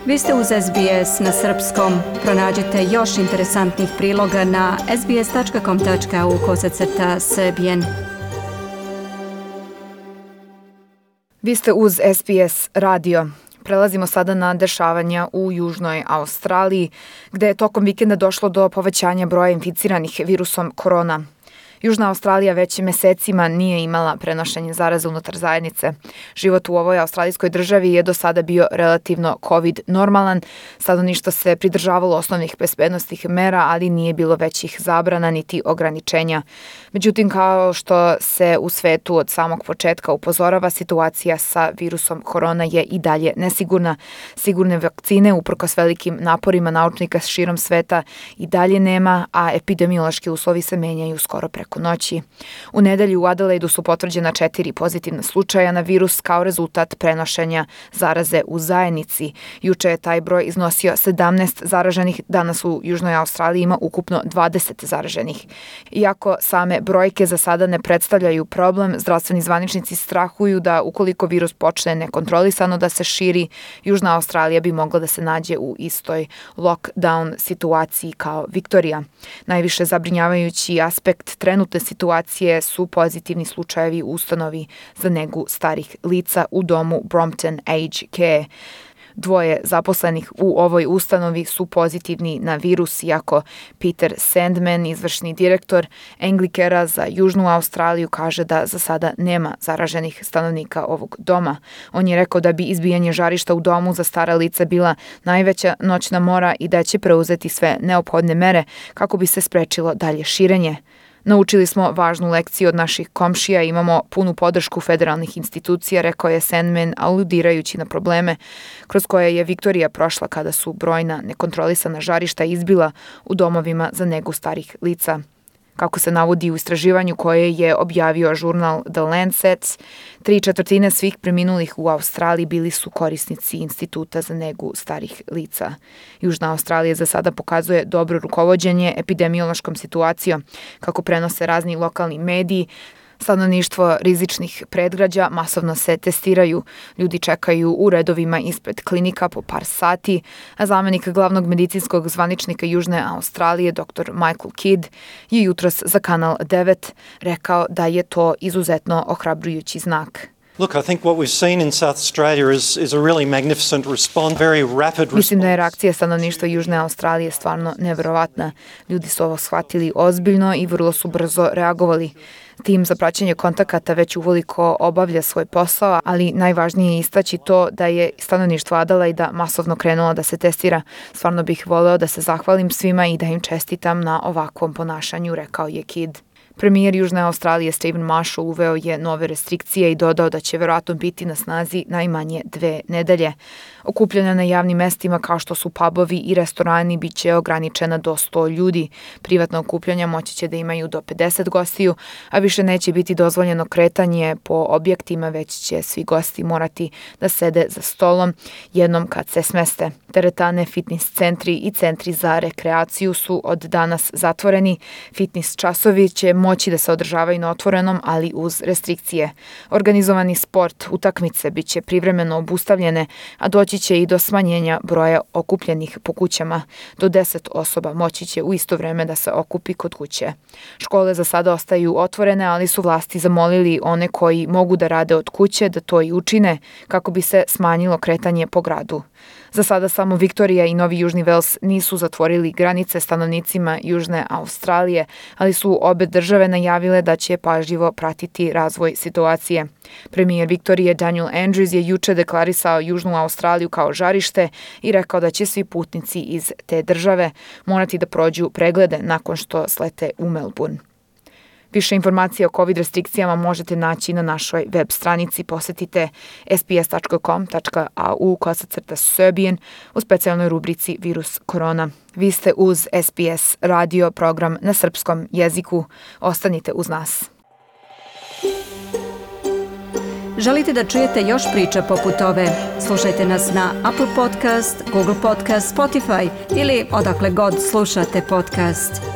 Vi ste uz SBS na srpskom. Pronađite još interesantnih priloga na sbs.com.au/srbijen. Vi ste uz SBS radio. Prelazimo sada na dešavanja u Južnoj Australiji, gde je tokom vikenda došlo do povećanja broja inficiranih virusom korona. Južna Australija već mesecima nije imala prenošenje zaraze unutar zajednice. Život u ovoj australijskoj državi je do sada bio relativno COVID normalan. Stanovništvo se pridržavalo osnovnih bezbednosnih mera, ali nije bilo većih zabrana niti ograničenja. Međutim, kao što se u svetu od samog početka upozorava, situacija sa virusom korona je i dalje nesigurna. Sigurne vakcine, uprkos velikim naporima naučnika širom sveta, i dalje nema, a epidemiološki uslovi se menjaju skoro preko noći. U nedelju u Adelaidu su potvrđena 4 pozitivna slučaja na virus kao rezultat prenošenja zaraze u zajednici. Juče je taj broj iznosio 17 zaraženih, danas u Južnoj Australiji ima ukupno 20 zaraženih. Iako same brojke za sada ne predstavljaju problem, zdravstveni zvaničnici strahuju da ukoliko virus počne nekontrolisano da se širi, Južna Australija bi mogla da se nađe u istoj lockdown situaciji kao Viktorija. Najviše zabrinjavajući aspekt trenutne situacije su pozitivni slučajevi u ustanovi za negu starih lica u domu Brompton Aged Care. 2 zaposlenih u ovoj ustanovi su pozitivni na virus, iako Peter Sandman, izvršni direktor Anglicare za Južnu Australiju, kaže da za sada nema zaraženih stanovnika ovog doma. On je rekao da bi izbijanje žarišta u domu za stara lica bila najveća noćna mora i da će preuzeti sve neophodne mere kako bi se sprečilo dalje širenje. Naučili smo važnu lekciju od naših komšija i imamo punu podršku federalnih institucija, rekao je Sandman, aludirajući na probleme kroz koje je Viktorija prošla kada su brojna nekontrolisana žarišta izbila u domovima za negu starih lica. Kako se navodi u istraživanju koje je objavio žurnal The Lancet, 3/4 svih preminulih u Australiji bili su korisnici Instituta za negu starih lica. Južna Australija za sada pokazuje dobro rukovođenje epidemiološkom situacijom, kako prenose razni lokalni mediji. Stanovništvo rizičnih predgrađa masovno se testiraju. Ljudi čekaju u redovima ispred klinika po par sati, a zamenik glavnog medicinskog zvaničnika Južne Australije, dr. Michael Kidd, je jutros za Kanal 9 rekao da je to izuzetno ohrabrujući znak. Look, I think what we've seen in South Australia is a really magnificent response, very rapid response. Mislim da je reakcija stanovništva Južne Australije stvarno neverovatna. Ljudi su ovo shvatili ozbiljno i vrlo su brzo reagovali. Tim za praćenje kontakata već uveliko obavlja svoj posao, ali najvažnije je istaći to da je stanovništvo Adelaida masovno krenulo da se testira. Stvarno bih voleo da se zahvalim svima i da im čestitam na ovakvom ponašanju, rekao je Kidd. Premijer Južne Australije Stephen Marshall uveo je nove restrikcije i dodao da će verovatno biti na snazi najmanje 2 nedelje. Okupljanja na javnim mestima kao što su pubovi i restorani bit će ograničena do 100 ljudi. Privatna okupljanja moći će da imaju do 50 gostiju, a više neće biti dozvoljeno kretanje po objektima, već će svi gosti morati da sede za stolom jednom kad se smeste. Teretane, fitness centri i centri za rekreaciju su od danas zatvoreni. Fitness časovi će moći da se održavaju na otvorenom, ali uz restrikcije. Organizovani sport, utakmice bit će privremeno obustavljene, a doći će i do smanjenja broja okupljenih po kućama. Do 10 osoba moći će u isto vreme da se okupi kod kuće. Škole za sada ostaju otvorene, ali su vlasti zamolili one koji mogu da rade od kuće da to i učine kako bi se smanjilo kretanje po gradu. Za sada samo Viktorija i Novi Južni Vels nisu zatvorili granice stanovnicima Južne Australije, ali su obe države najavile da će pažljivo pratiti razvoj situacije. Premijer Viktorije Daniel Andrews je juče deklarisao Južnu Australiju kao žarište i rekao da će svi putnici iz te države morati da prođu preglede nakon što slete u Melbourne. Više informacija o COVID restrikcijama možete naći na našoj web stranici. Posetite sbs.com.au/Serbian u specijalnoj rubrici Virus korona. Vi ste uz SBS radio program na srpskom jeziku. Ostanite uz nas. Želite da čujete još priča poput ove? Slušajte nas na Apple Podcast, Google Podcast, Spotify ili odakle god slušate podcast.